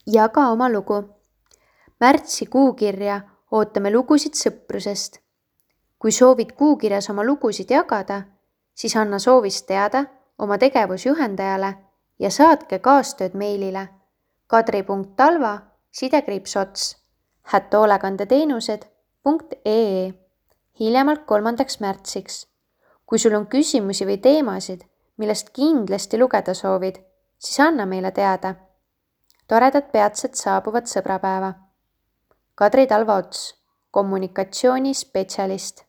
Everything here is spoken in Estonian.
Jaga oma lugu. Märtsi kuukirja ootame lugusid sõprusest. Kui soovid kuukirjas oma lugusid jagada, siis anna soovist teada oma tegevusjuhendajale ja saatke kaastööd meilile kadri.talva@hoolekandeteenused.ee hiljemalt 3. märtsiks. Kui sul on küsimusi või teemasid, millest kindlasti lugeda soovid, siis anna meile teada. Toredat peatset saabuvat sõbrapäeva. Kadri Talva Ots, kommunikatsioonispetsialist.